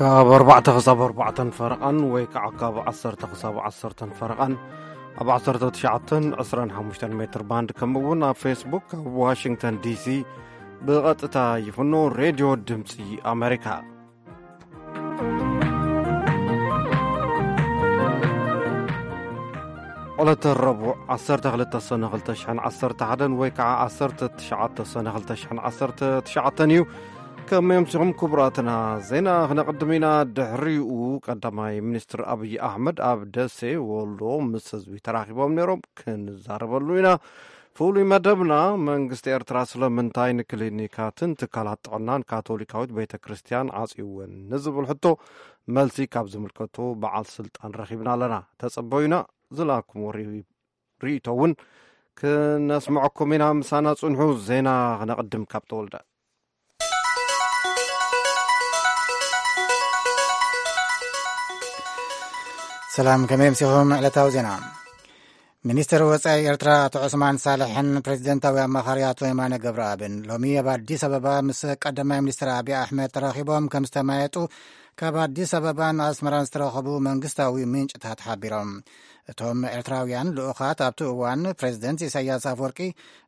ካብ ኣርባዕተ ክሳብ ኣርባዕተን ፈረቓን ወይ ከዓ ካብ ዓሰርተ ክሳብ ዓሰርተን ፈረቓን ኣብ ዓሰርተ ትሽዓተን ዕስራን ሓሙሽተን ሜትር ባንድ፣ ከምኡ እውን ኣብ ፌስቡክ ካብ ዋሽንግተን ዲሲ ብቐጥታ ይፍኖ። ሬድዮ ድምፂ ኣሜሪካ። ዕለተ ረቡዕ ዓሰርተ ክልተ ሰነ ክልተ ሽሕን ዓሰርተ ሓደን ወይ ከዓ ዓሰርተ ትሽዓተ ሰነ ክልተ ሽሕን ዓሰርተ ትሽዓተን እዩ። ከመይ ኣምሲኹም ክቡራትና? ዜና ክነቕድም ኢና። ድሕሪኡ ቀዳማይ ሚኒስትር ኣብይ ኣሕመድ ኣብ ደሴ ወሎ ምስ ህዝቢ ተራኺቦም ነይሮም፣ ክንዛረበሉ ኢና። ፍሉይ መደብና፣ መንግስቲ ኤርትራ ስለምንታይ ንክሊኒካትን ትካላት ጥዕናን ካቶሊካዊት ቤተ ክርስቲያን ዓጽይወን ንዝብል ሕቶ መልሲ ካብ ዝምልከቱ በዓል ስልጣን ረኺብና ኣለና። ተጸበዩና። ዝለኣኩምዎ ርኢ-፣ ርእይቶ እውን ክነስምዐኩም ኢና። ምሳና ጽንሑ። ዜና ክነቕድም ካብ ተወልደ። ሰላም፣ ከመይ ኣምሲኹም? ዕለታዊ ዜና። ሚኒስትር ወጻኢ ኤርትራ ኣቶ ዑስማን ሳልሕን ፕሬዚደንታዊ ኣማኻሪ ኣቶ የማነ ገብረኣብን ሎሚ ኣብ ኣዲስ ኣበባ ምስ ቀዳማይ ሚኒስትር ኣብይ ኣሕመድ ተራኺቦም ከም ዝተማየጡ ካብ ኣዲስ ኣበባን ኣስመራን ዝተረኸቡ መንግስታዊ ምንጭታት ሓቢሮም። እቶም ኤርትራውያን ልኡኻት ኣብቲ እዋን ፕሬዚደንት ኢሳያስ ኣፈወርቂ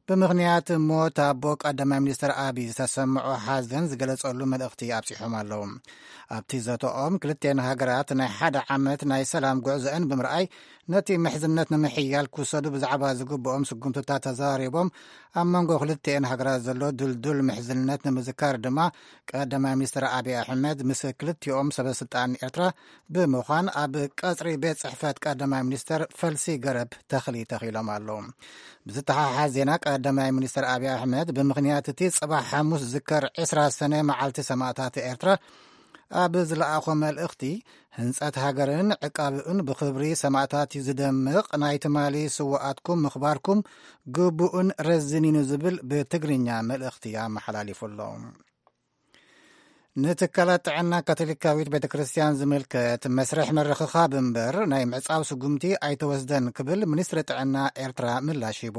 ብምኽንያት ሞት ኣቦ ቀዳማይ ሚኒስትር ኣብይ ዝተሰምዖ ሓዘን ዝገለጸሉ መልእኽቲ ኣብጺሖም ኣለዉ። ኣብቲ ዘተኦም ክልቴን ሃገራት ናይ ሓደ ዓመት ናይ ሰላም ጉዕዞአን ብምርኣይ ነቲ ምሕዝነት ንምሕያል ክውሰዱ ብዛዕባ ዝግብኦም ስጉምትታት ተዘራሪቦም። ኣብ መንጎ ክልቲኤን ሃገራት ዘሎ ድልዱል ምሕዝነት ንምዝካር ድማ ቀዳማይ ሚኒስትር ኣብይ ኣሕመድ ምስ ክልቲኦም ሰበስልጣን ኤርትራ ብምዃን ኣብ ቀጽሪ ቤት ጽሕፈት ቀዳማይ ሚኒስትር ፈልሲ ገረብ ተኽሊ ተኺሎም ኣለዉ። ብዝተሓሓዝ ዜና ቀዳማይ ሚኒስትር ኣብይ ኣሕመድ ብምኽንያት እቲ ጽባሕ ሓሙስ ዝከር ዕስራ ሰነ መዓልቲ ሰማእታት ኤርትራ ኣብ ዝለኣኾ መልእኽቲ ህንጸት ሃገርን ዕቃብኡን ብኽብሪ ሰማእታት እዩ ዝደምቕ፣ ናይ ትማሊ ስውኣትኩም ምኽባርኩም ግቡእን ረዚን'ዩ ዝብል ብትግርኛ መልእኽቲ ኣመሓላሊፉ ኣሎ። ንትካላት ጥዕና ካቶሊካዊት ቤተ ክርስቲያን ዝምልከት መስርሕ ምርኽኻብ እምበር ናይ ምዕጻው ስጉምቲ ኣይተወስደን ክብል ሚኒስትሪ ጥዕና ኤርትራ ምላሽ ሂቡ።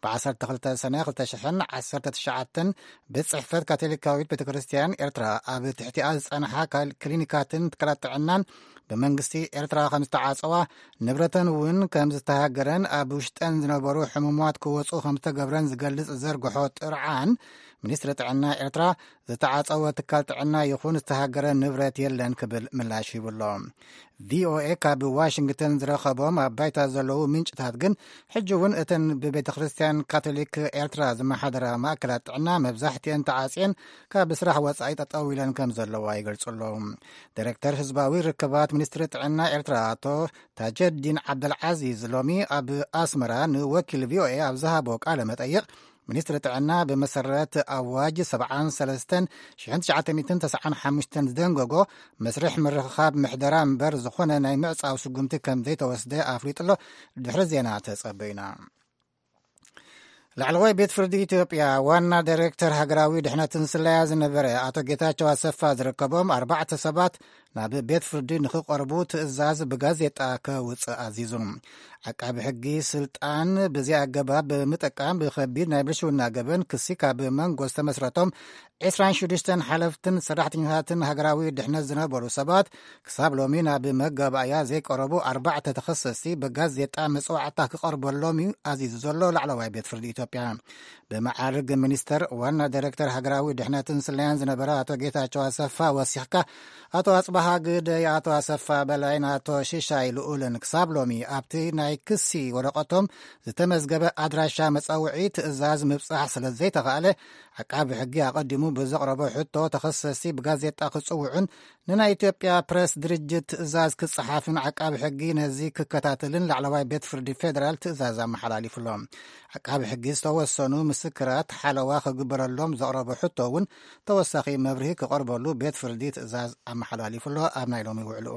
ብ ዓሰርተ ክልተ ሰነ ክልተ ሽሕን ዓሰርተ ትሽዓተን ቤት ጽሕፈት ካቶሊካዊት ቤተ ክርስቲያን ኤርትራ ኣብ ትሕቲኣ ዝጸንሓ ካል-፣ ክሊኒካትን ትካላት ጥዕናን ብመንግስቲ ኤርትራ ከም ዝተዓጸዋ፣ ንብረተን እውን ከም ዝተሃገረን ኣብ ውሽጠን ዝነበሩ ሕሙማት ክወጹ ከም ዝተገብረን ዝገልጽ ዘርግሖ ጥርዓን፣ ሚኒስትሪ ጥዕና ኤርትራ ዝተዓጸወ ትካል ጥዕና ይኹን ዝተሃገረ ንብረት የለን ክብል ምላሽ ሂቡ ኣሎ። ቪኦኤ ካብ ዋሽንግተን ዝረኸቦም ኣብ ባይታ ዘለዉ ምንጭታት ግን፣ ሕጂ እውን እተን ብቤተ ክርስቲያን ካቶሊክ ኤርትራ ዝመሓደራ ማእከላት ጥዕና መብዛሕትኤን ተዓጽየን ካብ ስራሕ ወጻኢ ጠጠው ኢለን ከም ዘለዋ ይገልጹ ኣለዉ። ዲሬክተር ህዝባዊ ርክባት ሚኒስትሪ ጥዕና ኤርትራ ኣቶ ታጀዲን ዓብደልዓዚዝ ሎሚ ኣብ ኣስመራ ንወኪል ቪኦኤ ኣብ ዝሃቦ ቃለ መጠይቕ፣ ሚኒስትሪ ጥዕና ብመሰረት ኣዋጅ ሰብዓን ሰለስተን ሽሕን ትሽዓተ ሚእትን ተስዓን ሓሙሽተን ዝደንገጎ መስርሕ ምርኽኻብ ምሕደራ እምበር ዝኾነ ናይ ምዕጻው ስጉምቲ ከም ዘይተወስደ ኣፍሊጡ ኣሎ። ድሕሪ ዜና ተጸበዩና። ላዕለዋይ ቤት ፍርዲ ኢትዮጵያ ዋና ዳይሬክተር ሃገራዊ ድሕነትን ስለያ ዝነበረ ኣቶ ጌታቸው ኣሰፋ ዝርከቦም ኣርባዕተ ሰባት ናብ ቤት ፍርዲ ንኽቐርቡ ትእዛዝ ብጋዜጣ ከውፅእ ኣዚዙ። ዓቃቢ ሕጊ ስልጣን ብዘይ ኣገባብ ብምጥቃም ብኸቢድ ናይ ብልሽውና ገበን ክሲ ካብ መንጎ ዝተመስረቶም ዕስራን ሽዱሽተን ሓለፍትን ሰራሕተኛታትን ሃገራዊ ድሕነት ዝነበሩ ሰባት ክሳብ ሎሚ ናብ መጋባእያ ዘይቀረቡ ኣርባዕተ ተኸሰስቲ ብጋዜጣ መፅዋዕታ ክቐርበሎም እዩ ኣዚዙ ዘሎ ላዕለዋይ ቤት ፍርዲ ኢትዮጵያ። ብመዓርግ ሚኒስተር ዋና ዳይሬክተር ሃገራዊ ድሕነትን ስለያን ዝነበረ ኣቶ ጌታቸው ኣሰፋ ወሲኽካ ኣቶ ኣጽባሃ ግደይ፣ ኣቶ ኣሰፋ በላይን ኣቶ ሽሻይ ልኡልን ክሳብ ሎሚ ኣብቲ ናይ ክሲ ወረቐቶም ዝተመዝገበ ኣድራሻ መጻውዒ ትእዛዝ ምብጻሕ ስለ ዘይተኻእለ፣ ዓቃቢ ሕጊ ኣቐዲሙ ብዘቕረቦ ሕቶ ተኸሰስቲ ብጋዜጣ ክጽውዑን ንናይ ኢትዮጵያ ፕረስ ድርጅት ትእዛዝ ክጸሓፍን ዓቃቢ ሕጊ ነዚ ክከታተልን ላዕለዋይ ቤት ፍርዲ ፌደራል ትእዛዝ ኣመሓላሊፉ ኣሎ። ዓቃቢ ሕጊ ዝተወሰኑ ምስክራት ሓለዋ ክግበረሎም ዘቕረቦ ሕቶ እውን ተወሳኺ መብርሂ ክቐርበሉ ቤት ፍርዲ ትእዛዝ ኣመሓላሊፉ ኣሎ። ኣብ ናይ ሎሚ ውዕልኡ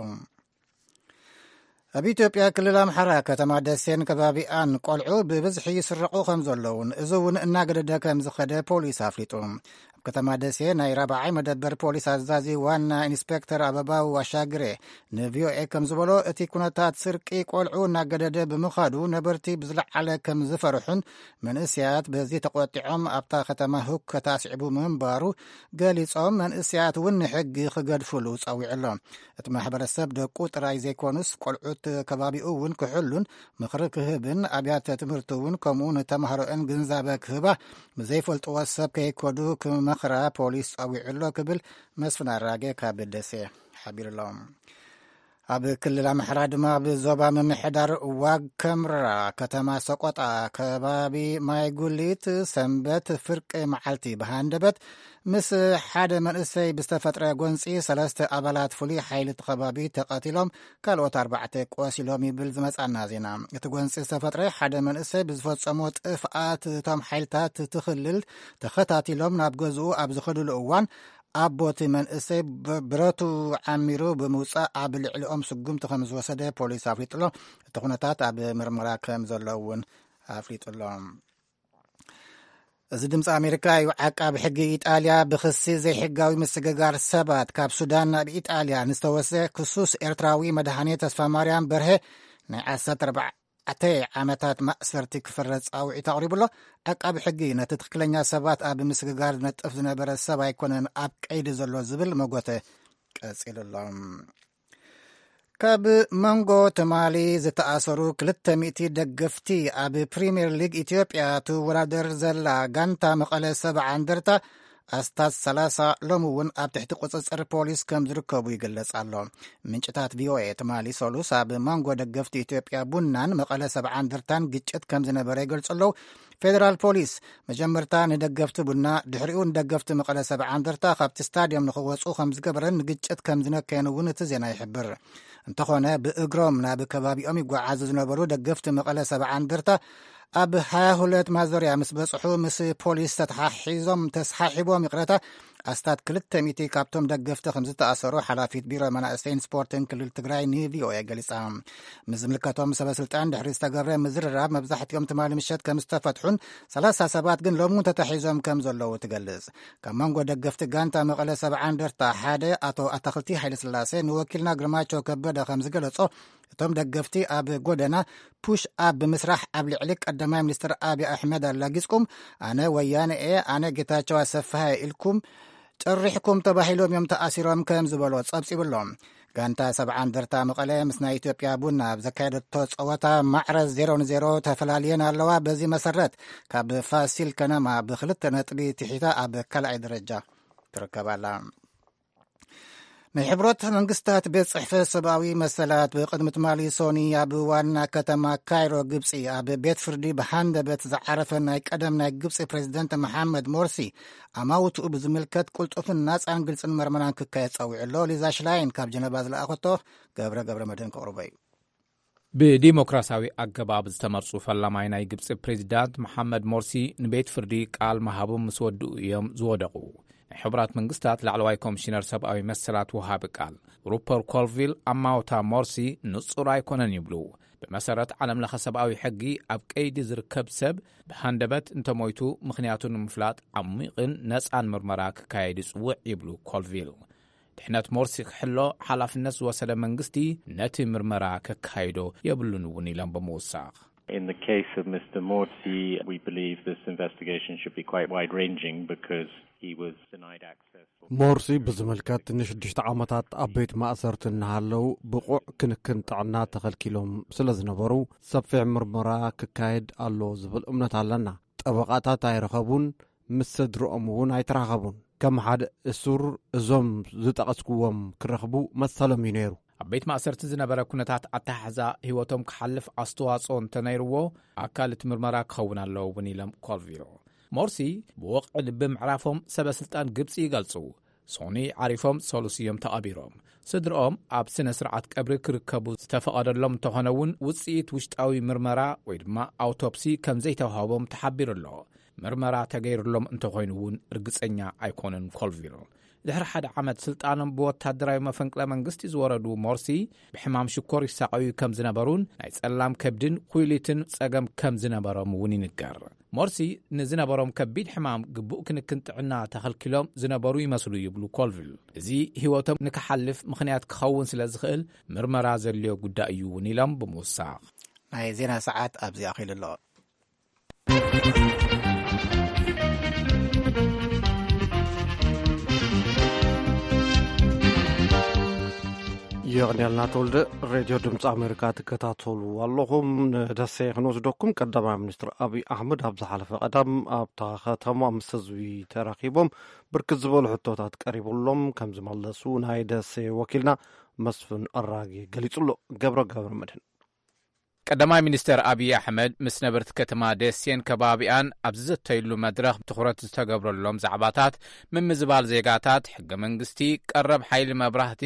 ኣብ ኢትዮጵያ ክልል ኣምሓራ ከተማ ደሴን ከባቢኣን ቆልዑ ብብዝሒ ይስረቑ ከም ዘለውን እዚ እውን እናገደደ ከም ዝኸደ ፖሊስ ኣፍሊጡ። ኣብ ከተማ ደሴ ናይ ራብዓይ መደበር ፖሊስ ኣዛዚ ዋና ኢንስፔክተር ኣበባው ኣሻግሬ ንቪኦኤ ከም ዝበሎ፣ እቲ ኩነታት ስርቂ ቆልዑ እናገደደ ብምኻዱ፣ ነበርቲ ብዝለዓለ ከም ዝፈርሑን መንእስያት በዚ ተቆጢዖም ኣብታ ከተማ ሁከት ኣስዒቡ ምንባሩ ገሊጾም፣ መንእስያት እውን ንሕጊ ክገድፍሉ ጸዊዑ ኣሎ። እቲ ማሕበረሰብ ደቁ ጥራይ ዘይኮኑስ፣ ቆልዑት ከባቢኡ እውን ክሕሉን ምኽሪ ክህብን፣ ኣብያተ ትምህርቲ እውን ከምኡ ንተማሃሮአን ግንዛበ ክህባ፣ ብዘይፈልጥዎ ሰብ ከይከዱ ክመኽራ ፖሊስ ጸዊዑ ኣሎ ክብል መስፍን ኣራጌ ካብ ደሴ ሓቢሩ ኣሎ። ኣብ ክልል ኣምሓራ ድማ፣ ኣብ ዞባ ምምሕዳር ዋግ ከምራ ከተማ ሰቆጣ ከባቢ ማይ ጉሊት፣ ሰንበት ፍርቂ መዓልቲ ብሃንደበት ምስ ሓደ መንእሰይ ብዝተፈጥረ ጎንፂ፣ ሰለስተ ኣባላት ፍሉይ ሓይሊ እቲ ከባቢ ተቐቲሎም፣ ካልኦት ኣርባዕተ ቆሲሎም ይብል ዝመጻና ዜና። እቲ ጎንፂ ዝተፈጥረ ሓደ መንእሰይ ብዝፈጸሞ ጥፍኣት፣ እቶም ሓይልታት እቲ ክልል ተኸታቲሎም ናብ ገዝኡ ኣብ ዝኸድሉ እዋን፣ ኣቦ እቲ መንእሰይ ብ-፣ ብረቱ ዓሚሩ ብምውጻእ፣ ኣብ ልዕሊኦም ስጉምቲ ከም ዝወሰደ ፖሊስ ኣፍሊጡ ኣሎ። እቲ ኩነታት ኣብ ምርመራ ከም ዘሎ እውን ኣፍሊጡ ኣሎ። እዚ ድምፂ ኣሜሪካ እዩ። ዓቃቢ ሕጊ ኢጣልያ፣ ብክሲ ዘይሕጋዊ ምስግጋር ሰባት ካብ ሱዳን ናብ ኢጣልያ ንዝተወስደ ክሱስ ኤርትራዊ መድሃኔ ተስፋ ማርያም በርሀ ናይ ዓሰርተ ኣርባዕተ ዓመታት ማእሰርቲ ክፍረድ ጻውዒት ኣቕሪቡ ኣሎ። ዓቃቢ ሕጊ፣ ነቲ ትኽክለኛ ሰባት ኣብ ምስግጋር ዝነጥፍ ዝነበረ ሰብ ኣይኮነን ኣብ ቀይዲ ዘሎ ዝብል መጎተ ቀጺሉ ኣሎ። ካብ መንጎ ትማሊ ዝተኣሰሩ ክልተ ሚእቲ ደገፍቲ፣ ኣብ ፕሪምየር ሊግ ኢትዮጵያ ትወዳደር ዘላ ጋንታ መቐለ ሰብዓ እንደርታ ኣስታት ሰላሳ ሎሚ እውን ኣብ ትሕቲ ቁጽጽር ፖሊስ ከም ዝርከቡ ይግለጽ ኣሎ። ምንጭታት ቪኦኤ ትማሊ ሰሉስ ኣብ መንጎ ደገፍቲ ኢትዮጵያ ቡናን መቐለ ሰብዓ እንደርታን ግጭት ከም ዝነበረ ይገልጹ ኣለዉ። ፌደራል ፖሊስ መጀመርታ ንደገፍቲ ቡና፣ ድሕሪኡ ንደገፍቲ መቐለ ሰብዓ እንደርታ ካብቲ ስታድዮም ንኽወጹ ከም ዝገበረን ንግጭት ከም ዝነከየን እውን እቲ ዜና ይሕብር። እንተኾነ፣ ብእግሮም ናብ ከባቢኦም ይጓዓዙ ዝነበሩ ደገፍቲ መቐለ ሰብዓ እንደርታ ኣብ ሃያ ሁለት ማዞርያ ምስ በጽሑ፣ ምስ ፖሊስ ተተሓሒዞም፣ ተስሓሒቦም፣ ይቕረታ፣ ኣስታት ክልተ ሚእቲ ካብቶም ደገፍቲ ከም ዝተኣሰሩ ሓላፊት ቢሮ መናእሰይን ስፖርትን ክልል ትግራይ ንቪኦኤ ገሊጻ። ምስ ዝምልከቶም ሰበ ስልጣን ድሕሪ ዝተገብረ ምዝርራብ፣ መብዛሕትኦም ትማሊ ምሸት ከም ዝተፈትሑን ሰላሳ ሰባት ግን ሎሚ ተታሒዞም ከም ዘለዉ ትገልጽ። ካብ መንጎ ደገፍቲ ጋንታ መቐለ ሰብዓ እንደርታ ሓደ ኣቶ ኣታኽልቲ ሃይለስላሴ ንወኪልና ግርማቸው ከበደ ከም ዝገለጾ፣ እቶም ደገፍቲ ኣብ ጎደና ፑሽ ኣፕ ብምስራሕ ኣብ ልዕሊ ቀዳማይ ሚኒስትር ኣብይ ኣሕመድ ኣላጊጽኩም፣ "ኣነ ወያነ እየ፣ ኣነ ጌታቸው ኣሰፋ እየ" ኢልኩም ጨሪሕኩም ተባሂሎም እዮም ተኣሲሮም ከም ዝበሎ ጸብጺቡ ኣሎ። ጋንታ ሰብዓ እንደርታ መቐለ ምስ ናይ ኢትዮጵያ ቡና ኣብ ዘካየደቶ ጸወታ ማዕረ ዜሮ ንዜሮ ተፈላልየን ኣለዋ። በዚ መሰረት ካብ ፋሲል ከነማ ብክልተ ነጥቢ ትሒታ ኣብ ካልኣይ ደረጃ ትርከብ ኣላ። ናይ ሕብረት መንግስታት ቤት ጽሕፈት ሰብኣዊ መሰላት ብቅድሚ ትማሊ ሶኒ ኣብ ዋና ከተማ ካይሮ ግብጺ ኣብ ቤት ፍርዲ ብሃንደበት ዝዓረፈ ናይ ቀደም ናይ ግብጺ ፕሬዚደንት መሓመድ ሞርሲ ኣማውትኡ ብዝምልከት ቅልጡፍን ናጻን ግልጽን መርመራን ክካየድ ጸዊዑ ኣሎ። ሊዛ ሽላይን ካብ ጀነባ ዝለኣኸቶ ገብረ ገብረ መድህን ከቕርቦ እዩ። ብዲሞክራሲያዊ ኣገባብ ዝተመርጹ ፈላማይ ናይ ግብጺ ፕሬዚዳንት መሓመድ ሞርሲ ንቤት ፍርዲ ቃል ምሃቦም ምስ ወድኡ እዮም ዝወደቑ። ናይ ሕቡራት መንግስታት ላዕለዋይ ኮሚሽነር ሰብኣዊ መሰላት ወሃቢ ቃል ሩፐር ኮልቪል ኣማውታ ሞርሲ ንጹር ኣይኮነን ይብሉ። ብመሰረት ዓለምለኸ ሰብኣዊ ሕጊ ኣብ ቀይዲ ዝርከብ ሰብ ብሃንደበት እንተሞይቱ ምኽንያቱ ንምፍላጥ ዓሚቕን ነጻን ምርመራ ክካየድ ይጽውዕ ይብሉ ኮልቪል። ድሕነት ሞርሲ ክሕሎ ሓላፍነት ዝወሰደ መንግስቲ ነቲ ምርመራ ከካይዶ የብሉን እውን ኢሎም ብምውሳኽ። In the case of Mister Morsi, we believe this investigation should be quite wide-ranging because he was denied access for ሞርሲ ብዝምልከት ንሽዱሽተ ዓመታት ኣብ ቤት ማእሰርቲ እናሃለው ብቑዕ ክንክን ጥዕና ተኸልኪሎም ስለ ዝነበሩ ሰፊሕ ምርመራ ክካየድ ኣሎ ዝብል እምነት ኣለና። ጠበቓታት ኣይረኸቡን፣ ምስ ስድርኦም እውን ኣይተራኸቡን። ከም ሓደ እሱር እዞም ዝጠቐስኩዎም ክረኽቡ መሰሎም እዩ ነይሩ። ኣብ ቤት ማእሰርቲ ዝነበረ ኩነታት ኣተሓሕዛ ህይወቶም ክሓልፍ ኣስተዋጽኦ እንተነይርዎ ኣካል እቲ ምርመራ ክኸውን ኣለዎ እውን ኢሎም ኮልቪል። ሞርሲ ብወቕዒ ልቢ ምዕራፎም ሰበ ስልጣን ግብጺ ይገልጹ። ሶኒ ዓሪፎም ሰሉስ እዮም ተቐቢሮም። ስድርኦም ኣብ ስነ ስርዓት ቀብሪ ክርከቡ ዝተፈቐደሎም እንተኾነ እውን ውጽኢት ውሽጣዊ ምርመራ ወይ ድማ ኣውቶፕሲ ከም ዘይተዋህቦም ተሓቢሩ ኣሎ። ምርመራ ተገይሩሎም እንተኾይኑ እውን ርግጸኛ ኣይኮነን ኮልቪል። ድሕሪ ሓደ ዓመት ስልጣኖም ብወታደራዊ መፈንቅለ መንግስቲ ዝወረዱ ሞርሲ ብሕማም ሽኮር ይሳቐዩ ከም ዝነበሩን ናይ ጸላም ከብድን ኩይሊትን ጸገም ከም ዝነበሮም እውን ይንገር። ሞርሲ ንዝነበሮም ከቢድ ሕማም ግቡእ ክንክን ጥዕና ተኸልኪሎም ዝነበሩ ይመስሉ ይብሉ ኮልቪል። እዚ ህይወቶም ንክሓልፍ ምኽንያት ክኸውን ስለ ዝኽእል ምርመራ ዘድልዮ ጉዳይ እዩ እውን ኢሎም ብምውሳኽ። ናይ ዜና ሰዓት ኣብዚ ኣኺሉ ኣሎ። የቕንየልና ተወልደ። ሬድዮ ድምፂ ኣሜሪካ ትከታተሉ ኣለኹም። ንደሴ ክንወስደኩም። ቀዳማይ ሚኒስትር ኣብይ ኣሕመድ ኣብ ዝሓለፈ ቀዳም ኣብታ ከተማ ምስ ህዝቢ ተራኺቦም ብርክት ዝበሉ ሕቶታት ቀሪቡሎም ከም ዝመለሱ ናይ ደሴ ወኪልና መስፍን ኣራጌ ገሊጹ ኣሎ። ገብረ ገብረ መድህን። ቀዳማይ ሚኒስተር ኣብይ ኣሕመድ ምስ ነበርቲ ከተማ ደሴን ከባቢኣን ኣብ ዝዘተይሉ መድረኽ ትኹረት ዝተገብረሎም ዛዕባታት ምምዝባል ዜጋታት፣ ሕገ መንግስቲ፣ ቀረብ ሓይሊ መብራህቲ፣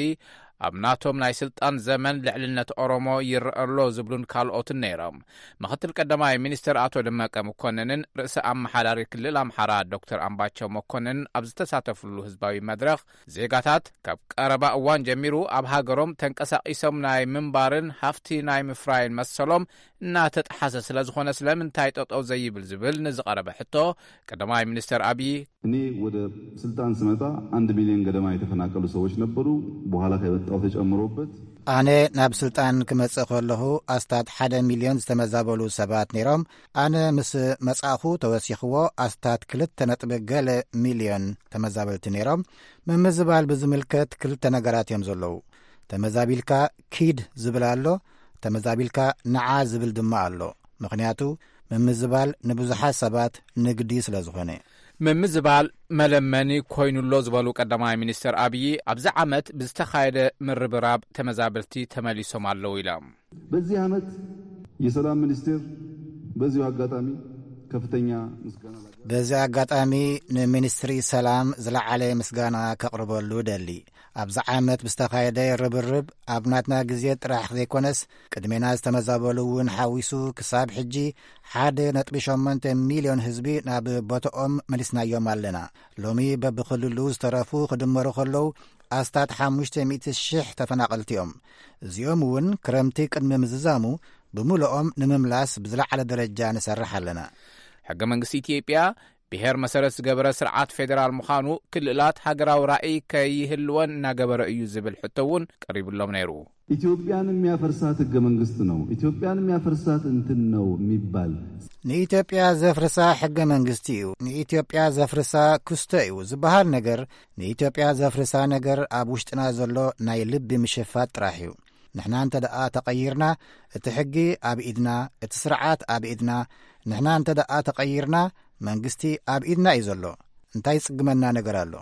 ኣብ ናቶም ናይ ስልጣን ዘመን ልዕልነት ኦሮሞ ይረአ ኣሎ ዝብሉን ካልኦትን ነይሮም። ምኽትል ቀዳማይ ሚኒስተር ኣቶ ደመቀ መኮንንን ርእሰ ኣመሓዳሪ ክልል ኣምሓራ ዶክተር ኣምባቸው መኮንንን ኣብ ዝተሳተፍሉ ህዝባዊ መድረኽ፣ ዜጋታት ካብ ቀረባ እዋን ጀሚሩ ኣብ ሃገሮም ተንቀሳቒሶም ናይ ምንባርን ሃፍቲ ናይ ምፍራይን መሰሎም እናተጠሓሰ ስለ ዝኾነ ስለምንታይ ጠጠው ዘይብል ዝብል ንዝቐረበ ሕቶ፣ ቀዳማይ ሚኒስተር ኣብዪ፣ እኔ ወደ ስልጣን ስመጣ አንድ ሚሊዮን ገደማ የተፈናቀሉ ሰዎች ነበሩ። በኋላ ከመጣሁ ተጨምሮበት። ኣነ ናብ ስልጣን ክመጽእ ከለኹ ኣስታት ሓደ ሚልዮን ዝተመዛበሉ ሰባት ነይሮም። ኣነ ምስ መጻእኹ ተወሲኽዎ ኣስታት ክልተ ነጥቢ ገለ ሚልዮን ተመዛበልቲ ነይሮም። ምምዝባል ብዝምልከት ክልተ ነገራት እዮም ዘለዉ። ተመዛቢልካ ኪድ ዝብል ኣሎ፣ ተመዛቢልካ ንዓ ዝብል ድማ ኣሎ። ምኽንያቱ ምምዝባል ንብዙሓት ሰባት ንግዲ ስለ ዝኾነ። ምምዝባል መለመኒ ኮይኑሎ ዝበሉ ቀዳማይ ሚኒስትር ኣብዪ፣ ኣብዚ ዓመት ብዝተኻየደ ምርብራብ ተመዛበልቲ ተመሊሶም ኣለዉ ኢሎም። በዚህ ዓመት የሰላም ሚኒስቴር በዚሁ አጋጣሚ ከፍተኛ ምስጋና ላቀርብ። በዚ ኣጋጣሚ ንሚኒስትሪ ሰላም ዝለዓለ ምስጋና ከቕርበሉ ደሊ። ኣብዚ ዓመት ብዝተኻየደ ርብርብ ኣብ ናትና ግዜ ጥራሕ ዘይኮነስ ቅድሜና ዝተመዛበሉ እውን ሓዊሱ ክሳብ ሕጂ ሓደ ነጥቢ ሸሞንተ ሚልዮን ህዝቢ ናብ ቦታኦም መሊስናዮም ኣለና። ሎሚ በብክልሉ ዝተረፉ ክድመሩ ከለዉ ኣስታት ሓሙሽተ ሚእቲ ሽሕ ተፈናቐልቲ እዮም። እዚኦም እውን ክረምቲ ቅድሚ ምዝዛሙ ብምልኦም ንምምላስ ብዝለዓለ ደረጃ ንሰርሕ ኣለና። ሕገ መንግስቲ ኢትዮጵያ ብሄር መሰረት ዝገበረ ስርዓት ፌዴራል ምዃኑ ክልላት ሃገራዊ ራእይ ከይህልወን እናገበረ እዩ ዝብል ሕቶ እውን ቀሪቡሎም ነይሩ። ኢትዮጵያን የሚያፈርሳት ሕገ መንግስት ነው፣ ኢትዮጵያን የሚያፈርሳት እንትን ነው የሚባል። ንኢትዮጵያ ዘፍርሳ ሕገ መንግስቲ እዩ፣ ንኢትዮጵያ ዘፍርሳ ክስቶ እዩ ዝበሃል ነገር፣ ንኢትዮጵያ ዘፍርሳ ነገር ኣብ ውሽጥና ዘሎ ናይ ልቢ ምሽፋት ጥራሕ እዩ። ንሕና እንተ ደኣ ተቐይርና፣ እቲ ሕጊ ኣብ ኢድና፣ እቲ ስርዓት ኣብ ኢድና፣ ንሕና እንተ ደኣ ተቐይርና፣ መንግስቲ ኣብ ኢድና እዩ ዘሎ። እንታይ ዝጽግመና ነገር ኣሎ?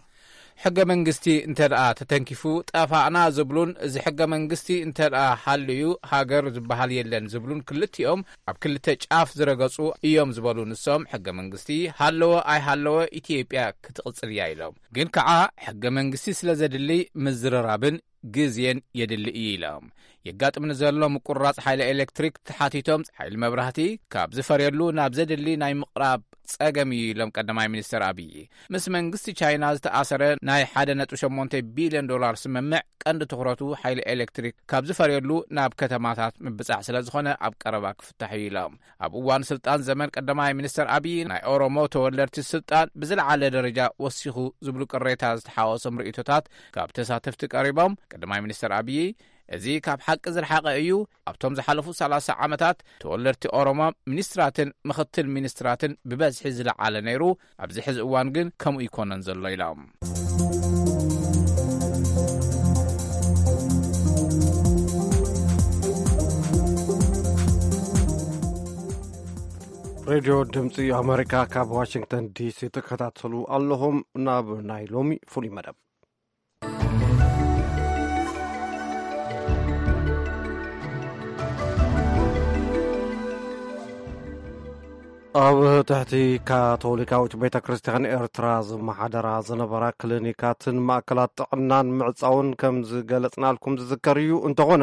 ሕገ መንግስቲ እንተ ደኣ ተተንኪፉ ጠፋእና ዝብሉን፣ እዚ ሕገ መንግስቲ እንተ ደኣ ሃልዩ ሃገር ዝበሃል የለን ዝብሉን ክልቲኦም ኣብ ክልተ ጫፍ ዝረገጹ እዮም ዝበሉ ንሶም፣ ሕገ መንግስቲ ሃለወ ኣይሃለወ ኢትዮጵያ ክትቕጽል እያ ኢሎም። ግን ከኣ ሕገ መንግስቲ ስለ ዘድሊ ምዝርራብን ግዜን የድሊ እዩ ኢሎም። የጋጥም ንዘሎ ምቁርራጽ ሓይሊ ኤሌክትሪክ ተሓቲቶም፣ ሓይሊ መብራህቲ ካብ ዝፈርየሉ ናብ ዘድሊ ናይ ምቕራብ ጸገም እዩ ኢሎም ቀዳማይ ሚኒስተር ኣብዪ። ምስ መንግስቲ ቻይና ዝተኣሰረ ናይ ሓደ ነጥቢ ሸሞንተ ቢልዮን ዶላር ስምምዕ ቀንዲ ትኹረቱ ሓይሊ ኤሌክትሪክ ካብ ዝፈርየሉ ናብ ከተማታት ምብጻሕ ስለ ዝኾነ ኣብ ቀረባ ክፍታሕ እዩ ኢሎም። ኣብ እዋን ስልጣን ዘመን ቀዳማይ ሚኒስተር ኣብዪ ናይ ኦሮሞ ተወለድቲ ስልጣን ብዝለዓለ ደረጃ ወሲኹ ዝብሉ ቅሬታ ዝተሓወሶም ርእይቶታት ካብ ተሳተፍቲ ቀሪቦም፣ ቀዳማይ ሚኒስተር ኣብዪ፣ እዚ ካብ ሓቂ ዝረሓቐ እዩ፣ ኣብቶም ዝሓለፉ ሰላሳ ዓመታት ተወለድቲ ኦሮሞ ሚኒስትራትን ምኽትል ሚኒስትራትን ብበዝሒ ዝለዓለ ነይሩ፣ ኣብዚ ሕዚ እዋን ግን ከምኡ ይኮነን ዘሎ ኢሎም። ሬድዮ ድምፂ ኣሜሪካ ካብ ዋሽንግተን ዲሲ ትከታተሉ ኣለኹም። ናብ ናይ ሎሚ ፍሉይ መደብ። ኣብ ትሕቲ ካቶሊካዊት ቤተ ክርስቲያን ኤርትራ ዝመሓደራ ዝነበራ ክሊኒካትን ማእከላት ጥዕናን ምዕጻውን ከም ዝገለጽናልኩም ዝዝከር እዩ። እንተኾነ፣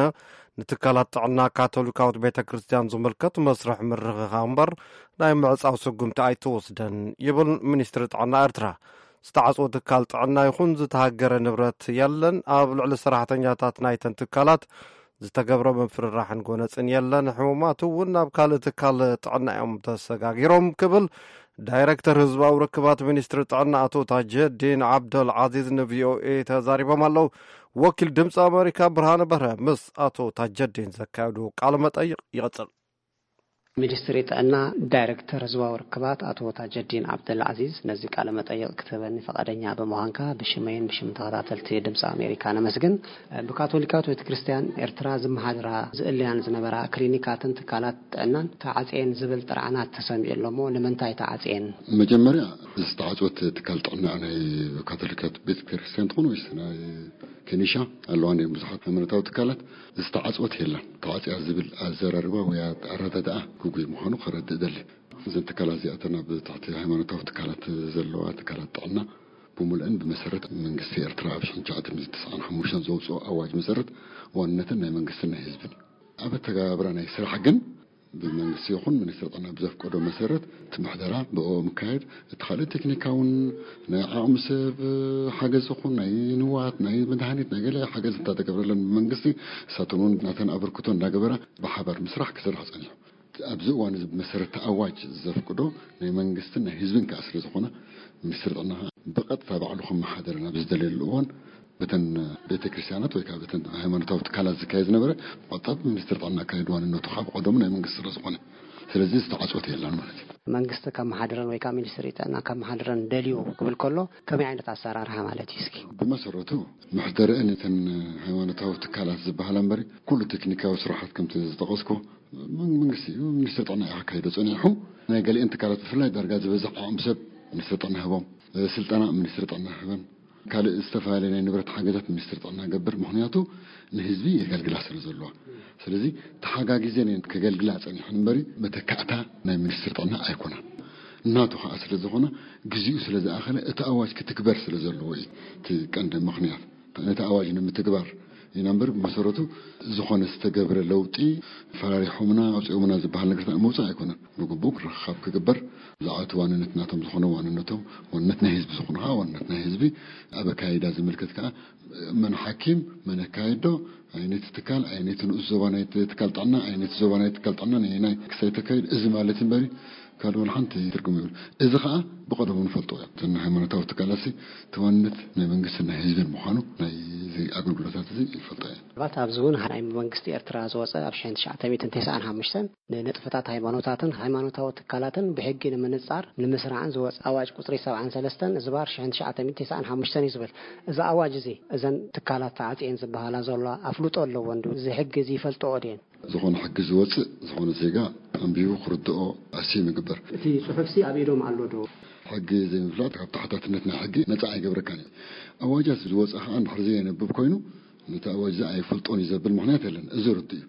ንትካላት ጥዕና ካቶሊካዊት ቤተ ክርስቲያን ዝምልከት መስርሕ ምርኽኻብ እምበር ናይ ምዕጻው ስጉምቲ ኣይትወስደን ይብል ሚኒስትሪ ጥዕና ኤርትራ። ዝተዓጽወ ትካል ጥዕና ይኹን ዝተሃገረ ንብረት የለን። ኣብ ልዕሊ ሰራሕተኛታት ናይተን ትካላት ዝተገብረ ምፍርራሕን ጎነፅን የለን። ሕሙማት እውን ናብ ካልእ ትካል ጥዕና እዮም ተሰጋጊሮም ክብል ዳይሬክተር ህዝባዊ ርክባት ሚኒስትሪ ጥዕና ኣቶ ታጀዲን ዓብደል ዓዚዝ ንቪኦኤ ተዛሪቦም ኣለዉ። ወኪል ድምፂ ኣሜሪካ ብርሃነ በርሀ ምስ ኣቶ ታጀዲን ዘካየዱ ቃለ መጠይቕ ይቕፅል። ሚኒስትሪ ጥዕና ዳይሬክተር ህዝባዊ ርክባት ኣቶ ታጀዲን ዓብደል ዓዚዝ ነዚ ቃለ መጠይቕ ክትህበኒ ፈቓደኛ ብምዃንካ ብሽመይን ብሽም ተኸታተልቲ ድምፂ ኣሜሪካ ነመስግን። ብካቶሊካዊት ቤተክርስትያን ኤርትራ ዝመሓድራ ዝእለያን ዝነበራ ክሊኒካትን ትካላት ጥዕናን ተዓፅየን ዝብል ጥርዓናት ተሰሚዑ ኣሎ እሞ ንምንታይ ተዓፅየን? መጀመርያ ዝተዓፅወት ትካል ጥዕና ናይ ካቶሊካት ቤተክርስትያን ትኾን ወይስ ናይ ከኒሻ ኣለዋ እንዲኦም ብዙሓት ሃይማኖታዊ ትካላት ዝተዓፅወት የላን። ተዓፅያ ዝብል ኣዘራርባ ወይ ኣረዳድኣ ግጉይ ምዃኑ ከረድእ ደሊ። እዘን ትካላት እዚኣተን ኣብ ትሕቲ ሃይማኖታዊ ትካላት ዘለዋ ትካላት ጥዕና ብምሉአን ብመሰረት መንግስቲ ኤርትራ ኣብ ሽሕን ትሽዓተ ሚእትን ተስዓን ሓሙሽተን ዘውፅኦ ኣዋጅ መሰረት ዋንነተን ናይ መንግስትን ናይ ህዝብን እዩ። ኣብ ኣተገባብራ ናይ ስራሕ ግን ብመንግስቲ ይኹን ሚኒስትሪ ጥዕና ብዘፍቀዶ መሰረት እቲ ምሕደራ ብኦ ምካየድ፣ እቲ ካልእ ቴክኒካውን ናይ ዓቕሚ ሰብ ሓገዝ ይኹን ናይ ንዋት ናይ መድሃኒት ናይ ገለ ሓገዝ እንተተገብረለን ብመንግስቲ ንሳተን እውን ናተን ኣበርክቶ እንዳገበራ ብሓባር ምስራሕ ክስራሕ ፀኒሑ። ኣብዚ እዋን እዚ ብመሰረት እቲ ኣዋጅ ዘፍቅዶ ናይ መንግስትን ናይ ህዝብን ከዓ ስለ ዝኾነ ሚኒስትሪ ጥዕና ከዓ ብቐጥታ ባዕሉ ክመሓደረን ኣብ ዝደለየሉ እዋን በተን ቤተ ክርስቲያናት ወይ ከዓ በተን ሃይማኖታዊ ትካላት ዝካየድ ዝነበረ ብቐጥታ ሚኒስትሪ ጥዕና ኣካይድ ዋንነቱ ከዓ ብቐደሙ ናይ መንግስቲ ስለ ዝኾነ ስለዚ ዝተዓፅወት የላን ማለት እዩ። መንግስቲ ከመሓድረን ወይ ከዓ ሚኒስትሪ ጥዕና ከመሓድረን ደልዩ ክብል ከሎ ከመይ ዓይነት ኣሰራርሓ ማለት እዩ እስኪ? ብመሰረቱ መሕደሪአን እተን ሃይማኖታዊ ትካላት ዝበሃላ እምበሪ ኩሉ ቴክኒካዊ ስራሓት ከምቲ ዝጠቐስኩ መንግስቲ እዩ። ሚኒስትሪ ጥዕና እዩ ኣካይዶ ፀኒሑ። ናይ ገሊአን ትካላት ብፍላይ ዳርጋ ዝበዝሕ ዓቕሚ ሰብ ሚኒስትሪ ጥዕና ህቦም፣ ስልጠና ሚኒስትሪ ጥዕና ህበን፣ ካልእ ዝተፈላለየ ናይ ንብረት ሓገዛት ሚኒስትሪ ጥዕና ገብር። ምክንያቱ ንህዝቢ የገልግላ ስለ ዘለዋ። ስለዚ ተሓጋጊዘን እየን ከገልግላ ፀኒሐን እምበሪ መተካእታ ናይ ሚኒስትሪ ጥዕና ኣይኮናን። እናቱ ከዓ ስለ ዝኾነ ግዚኡ ስለ ዝኣኸለ እቲ ኣዋጅ ክትግበር ስለ ዘለዎ እዩ እቲ ቀንዲ ምክንያት። ነቲ ኣዋጅ ንምትግባር ኢና እምበር ብመሰረቱ ዝኾነ ዝተገብረ ለውጢ ፈራሪሖምና ኣውፂኦምና ዝበሃል ነገር ምውፃእ ኣይኮነን። ብግቡእ ክረኻብ ክግበር ብዛዕባ እቲ ዋንነት ናቶም ዝኾነ ዋንነቶም ዋንነት ናይ ህዝቢ ዝኾነ ከዓ ዋንነት ናይ ህዝቢ ኣብ ኣካይዳ ዝምልከት ከዓ መን ሓኪም መን ኣካየዶ ኣየነይቲ ትካል ኣየነይቲ ንኡስ ዞባ ናይ ትካል ጥዕና ኣየነይቲ ዞባ ናይ ትካል ጥዕና ነየናይ ክሳይ ተካይድ እዚ ማለት እምበሪ ካልእ ወላ ሓንቲ ትርጉም የብሉ። እዚ ከዓ ብቐደሙ ንፈልጦ እዮም። እተን ሃይማኖታዊ ትካላት እቲ ዋንነት ናይ መንግስትን ናይ ህዝብን ምዃኑ ናይ ኣገልግሎታት እዚ ይፈልጦ እየን። ባት ኣብዚ እውን ናይ መንግስቲ ኤርትራ ዝወፀ ኣብ ሽሕን ትሽዓተ ሚእትን ተስዓን ሓሙሽተን ንንጥፈታት ሃይማኖታትን ሃይማኖታዊ ትካላትን ብሕጊ ንምንፃር ንምስራዕን ዝወፀ ኣዋጅ ቁፅሪ ሰብዓን ሰለስተን ዝባር ሽሕን ትሽዓተ ሚእትን ተስዓን ሓሙሽተን እዩ ዝብል። እዚ ኣዋጅ እዚ እዘን ትካላት ተዓፅየን ዝበሃላ ዘለዋ ኣፍልጦ ኣለወን ዶ? እዚ ሕጊ እዚ ይፈልጥኦ ድየን? ዝኾነ ሕጊ ዝወፅእ ዝኾነ ዜጋ ኣንቢቡ ክርድኦ ኣስም ይግበር። እቲ ፅሑፍሲ ኣብ ኢዶም ኣሎ ዶ? ሕጊ ዘይምፍላጥ ካብ ተሓታትነት ናይ ሕጊ ነፃ ኣይገብረካን እዩ። ኣዋጃት ዝወፅእ ከዓ እንድሕር ዘየንብብ ኮይኑ ነቲ ኣዋጅ እዚ ኣይፈልጦን እዩ ዘብል ምኽንያት የለን። እዚ ርዱእ እዩ።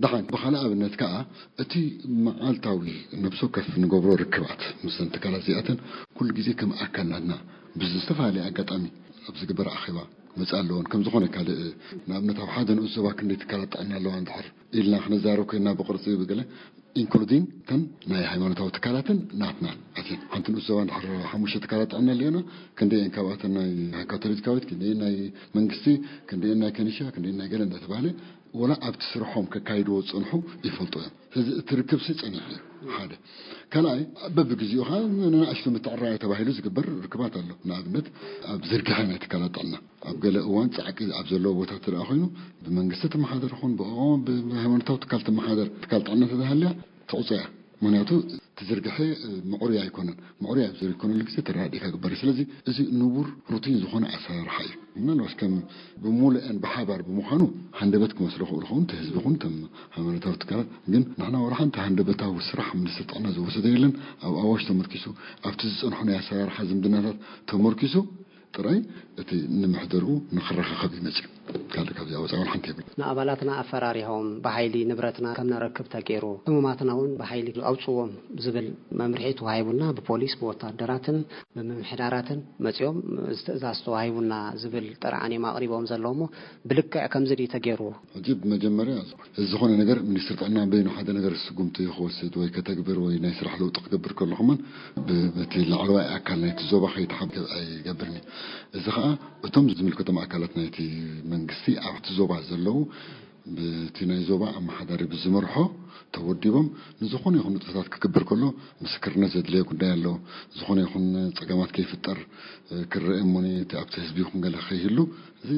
ደሓን ብኻልእ ኣብነት ከዓ እቲ መዓልታዊ ነብሲ ወከፍ ንገብሮ ርክባት ምስዘን ትካላት እዚኣተን ኩሉ ግዜ ከም ኣካል ናትና ብዝተፈላለየ ኣጋጣሚ ኣብ ዝግበር ኣኼባ ክመፅእ ኣለዎን ከም ዝኾነ ካልእ ንኣብነት ኣብ ሓደ ንኡስ ዞባ ክንደይ ትካላት ጥዕና ኣለዋ እንድሕር ኢልና ክነዛረብ ኮይንና ብቕርፂ ብገለ including እተን ናይ ሃይማኖታዊ ትካላትን ናትናን ኣትየን ሓንቲ ንኡስ ዞባ እንድሕር ሓሙሽተ ትካላት ጥዕና ኣለዮና ክንደየን ካብኣተን ናይ ካቶሊካዊት ክንደየን ናይ መንግስቲ ክንደየን ናይ ከኒሻ ክንደየን ናይ ገለ እንዳተባህለ ወላ ኣብቲ ስርሖም ከካይድዎ ዝፀንሑ ይፈልጡ እዮም። ስለዚ እቲ ርክብሲ ፀኒሑ እዩ ሓደ። ካልኣይ በብግዚኡ ከዓ ንናእሽቱ ምትዕራይ ተባሂሉ ዝግበር ርክባት ኣሎ። ንኣብነት ኣብ ዝርግሐ ናይ ትካላት ጥዕና ኣብ ገለ እዋን ፃዕቂ ኣብ ዘለዎ ቦታ እንተ ደኣ ኮይኑ ብመንግስቲ ትመሓደር ይኹን ብኦ ብሃይማኖታዊ ትካል ትመሓደር ትካል ጥዕና ተተሃልያ ትቑፀ እያ። ምክንያቱ እቲ ዝርግሐ ምዕሩይ ኣይኮነን። ምዕሩይ ኣብ ዘይኮነሉ ግዜ ተረዳዲእካ ግበር እዩ። ስለዚ እዚ ንቡር ሩቲን ዝኾነ ኣሰራርሓ እዩ። ምናልባሽ ከም ብምሉአን ብሓባር ብምዃኑ ሃንደበት ክመስሎ ክእሉ ኸውን እቲ ህዝቢ ኹን እቶም ሃይማኖታዊ ትካላት ግን ንሕና ወላ ሓንቲ ሃንደበታዊ ስራሕ ሚኒስትር ጥዕና ዝወሰደ የለን። ኣብ ኣዋሽ ተመርኪሱ ኣብቲ ዝፀንሑ ናይ ኣሰራርሓ ዝምድናታት ተመርኪሱ ጥራይ እቲ ንምሕደርኡ ንኽረኻኸብ እዩ መፅዩ። ካልእ ካብዚኣ ወፃኢ ሓንቲ የብሉ። ንኣባላትና ኣፈራሪሆም ብሓይሊ ንብረትና ከም ነረክብ ተገይሩ፣ ሕሙማትና እውን ብሓይሊ ኣውፅዎም ዝብል መምርሒ ተዋሂቡና ብፖሊስ ብወታደራትን ብምምሕዳራትን መፅዮም እዚ ትእዛዝ ተዋሂቡና ዝብል ጥርዓን እዮም ኣቕሪቦም ዘለዉ እሞ ብልክዕ ከምዚ ድዩ ተገይሩ? ሕጂ ብመጀመርያ እዚ ዝኾነ ነገር ሚኒስትሪ ጥዕና በይኑ ሓደ ነገር ስጉምቲ ክወስድ ወይ ከተግብር ወይ ናይ ስራሕ ለውጢ ክገብር ከሎ ከማን በቲ ላዕለዋይ ኣካል ናይቲ ዞባ ከይተሓበረ ኣይገብርን እዩ። እዚ ከዓ እቶም ዝምልከቶም ኣካላት ናይቲ መንግስቲ ኣብቲ ዞባ ዘለዉ ብቲ ናይ ዞባ ኣመሓዳሪ ብዝመርሖ ተወዲቦም ንዝኾነ ይኹን ንጥፈታት ክግበር ከሎ ምስክርነት ዘድልዮ ጉዳይ ኣሎ። ዝኾነ ይኹን ጸገማት ከይፍጠር ክረአ እሞኒ እቲ ኣብቲ ህዝቢ ይኹን ገለ ከይህሉ እዚ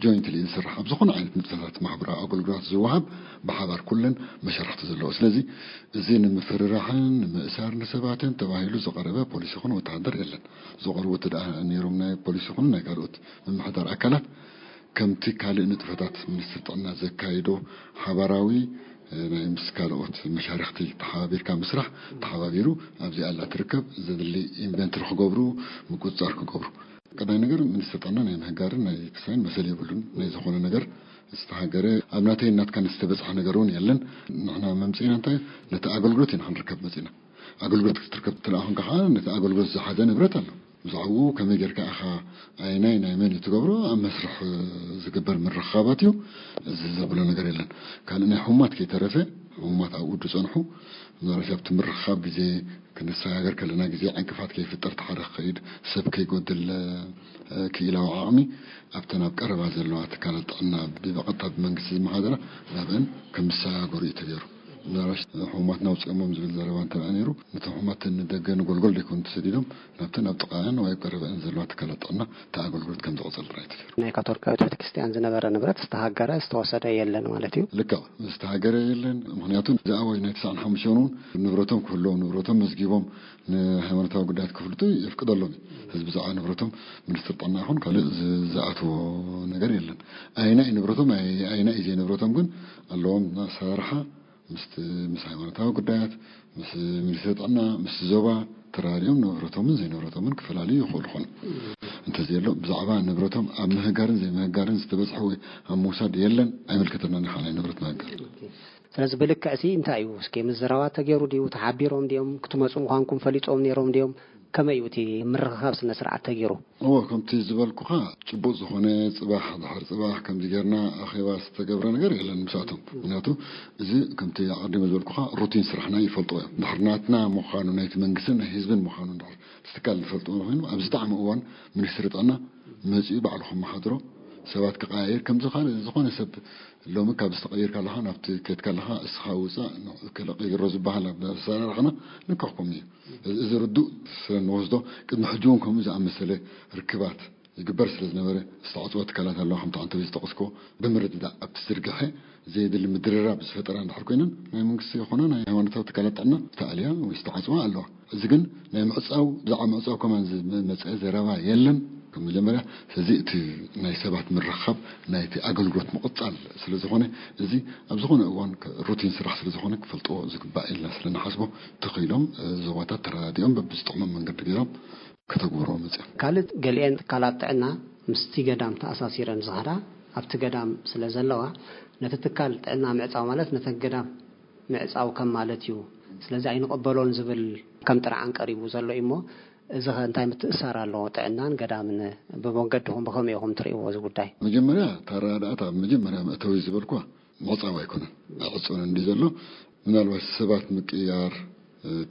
ጆይንትሊ ዝስራሕ ኣብ ዝኾነ ዓይነት ንጥፈታት ማሕበራዊ ኣገልግሎት ዝወሃብ ብሓባር ኩለን መሻርክቲ ዘለዎ። ስለዚ እዚ ንምፍርራሕን ንምእሳር ንሰባትን ተባሂሉ ዝቐረበ ፖሊስ ይኹን ወተሃደር የለን። ዝቐርቡ እቲ ደኣ ነይሮም ናይ ፖሊስ ይኹን ናይ ካልኦት ምምሕዳር ኣካላት ከምቲ ካልእ ንጥፈታት ሚኒስትሪ ጥዕና ዘካይዶ ሓባራዊ ናይ ምስ ካልኦት መሻርክቲ ተሓባቢርካ ምስራሕ ተሓባቢሩ ኣብዚኣ ኣላ ትርከብ ዘድሊ ኢንቨንትሪ ክገብሩ ምቁፅፃር ክገብሩ። ቀዳይ ነገር ሚኒስትሪ ጥዕና ናይ ምህጋርን ናይ ክሳይን መሰል የብሉን። ናይ ዝኾነ ነገር ዝተሃገረ ኣብ ናተይ ናትካ ዝተበፅሐ ነገር እውን የለን። ንሕና መምፅእና እንታይ ነቲ ኣገልግሎት ኢና ክንርከብ መፅእና። ኣገልግሎት ክትርከብ ትለኣኹን ከዓ ነቲ ኣገልግሎት ዝሓዘ ንብረት ኣሎ። ብዛዕባኡ ከመይ ጌርካ ኢኻ ኣይናይ ናይ መን እዩ ትገብሮ ኣብ መስርሕ ዝግበር ምርኻባት እዩ። እዚ ዘብሎ ነገር የለን። ካልእ ናይ ሕሙማት ከይተረፈ ሕሙማት ኣብኡ ዝፀንሑ ምናልባት ኣብቲ ምርኻብ ግዜ ክንሰጋገር ከለና ግዜ ዕንቅፋት ከይፍጠር ተሓደ ክኸይድ ሰብ ከይጎድል ክኢላዊ ዓቕሚ ኣብተን ኣብ ቀረባ ዘለዋ ትካላት ጥዕና ብቐጥታ ብመንግስቲ ዝመሓደራ ናብአን ከምሰጋገሩ እዩ ተገይሩ። ምናልባት ሕሙማትና ውፅኦሞም ዝብል ዘረባ እንተ ነይሩ ነቶም ሕሙማት ንደገ ንጎልጎል ዘይኮኑ ተሰዲዶም ናብተን ኣብ ጥቃኣን ወይ ኣብ ቀረበአን ዘለዋ ትካላት ጥዕና እቲ ኣገልግሎት ከም ዝቐፀል ጥራይ ተገይሩ። ናይ ካቶሊካዊት ቤተክርስትያን ዝነበረ ንብረት ዝተሃገረ ዝተወሰደ የለን ማለት እዩ። ልክዕ ዝተሃገረ የለን። ምክንያቱ ዝኣወጅ ናይ ትስዓን ሓሙሽተን እውን ንብረቶም ክህልዎም ንብረቶም መዝጊቦም ንሃይማኖታዊ ጉዳያት ክፍልጡ የፍቅደሎም እዩ። ህዝቢ ዝዓ ንብረቶም ሚኒስትር ጥዕና ይኹን ካልእ ዝኣትዎ ነገር የለን። ኣይናይ ንብረቶም ኣይናይ ዘይ ንብረቶም ግን ኣለዎም ኣሰራርሓ ምስ ምስ ሃይማኖታዊ ጉዳያት ምስ ሚኒስትሪ ጥዕና ምስ ዞባ ተራዲኦም ንብረቶምን ዘይንብረቶምን ክፈላለዩ ይኽእሉ ኾኑ። እንተዘየሎ ብዛዕባ ንብረቶም ኣብ ምህጋርን ዘይምህጋርን ዝተበፅሐ ወይ ኣብ ምውሳድ የለን ኣይምልከተናን ኢኻ ናይ ንብረት ምህጋር። ስለዚ ብልክዕ ሲ እንታይ እዩ እስኪ ምዝራባት ተገይሩ ድዩ? ተሓቢሮም ድዮም? ክትመፁ ምዃንኩም ፈሊጦም ነይሮም ድዮም? ከመይ እዩ እቲ ምርኽኻብ ስነ ስርዓት ተገይሩ? እወ ከምቲ ዝበልኩኻ ጭቡጥ ዝኾነ ፅባሕ ድሕሪ ፅባሕ ከምዚ ጌርና ኣኼባ ዝተገብረ ነገር የለን ምሳቶም። ምክንያቱ እዚ ከምቲ ኣቐዲመ ዝበልኩኻ ሩቲን ስራሕና ይፈልጥዎ እዮም። ድሕሪ ናትና ምዃኑ ናይቲ መንግስትን ናይ ህዝብን ምዃኑ ድሕር ትካል ዝፈልጥዎ ኮይኑ ኣብዚ ጣዕሚ እዋን ሚኒስትሪ ጥዕና መፂኡ ባዕሉ ከመሓድሮ ሰባት ክቀያየር ከምዚ ካልእ ዝኾነ ሰብ ሎሚ ካብ ዝተቐይር ከለኻ ናብቲ ከይድ ከለኻ እስኻ ውፃእ ከለቀይሮ ዝበሃል ኣሰራርሕና ንክሕኩም እዩ። እዚ ርዱእ ስለ እንወስዶ ቅድሚ ሕጂ እውን ከምኡ ዝኣመሰለ ርክባት ይግበር ስለ ዝነበረ ዝተዓፅወ ትካላት ኣለዋ ከምቲ ዓንተቢ ዝጠቐስኮ ብምርድዳእ ኣብቲ ዝርግሐ ዘየድሊ ምድርራብ ዝፈጠራ እንድሕር ኮይነን ናይ መንግስቲ ይኾነ ናይ ሃይማኖታዊ ትካላት ጥዕና ዝተኣልያ ወይ ዝተዓፅዋ ኣለዋ። እዚ ግን ናይ ምዕፃው ብዛዕባ ምዕፃው ከማን ዝመፀ ዘረባ የለን። ከም መጀመርያ ስለዚ እቲ ናይ ሰባት ምርኻብ ናይቲ ኣገልግሎት ምቕፃል ስለ ዝኾነ እዚ ኣብ ዝኾነ እዋን ሩቲን ስራሕ ስለ ዝኾነ ክፈልጥዎ ዝግባእ ኢልና ስለ ንሓስቦ ተኽኢሎም ዞባታት ተረዳዲኦም በብዝጥቕሞም መንገዲ ገይሮም ከተግብርዎ መፅኦም። ካልእ ገሊኤን ትካላት ጥዕና ምስቲ ገዳም ተኣሳሲረን ዝኸዳ ኣብቲ ገዳም ስለ ዘለዋ ነቲ ትካል ጥዕና ምዕፃው ማለት ነተን ገዳም ምዕፃው ከም ማለት እዩ። ስለዚ ኣይንቐበሎን ዝብል ከም ጥርዓን ቀሪቡ ዘሎ እዩ እሞ እዚ ኸ እንታይ ምትእሳር ኣለዎ? ጥዕናን ገዳምን ብመንገድኹም ብኸመይ ኢኹም ትርእይዎ እዚ ጉዳይ? መጀመርያ እታ ኣረዳድኣታ ኣብ መጀመርያ መእተዊ ዝበልኳ ምዕፃው ኣይኮነን ኣይዕፀወን እንዲ ዘሎ ምናልባት ሰባት ምቅያር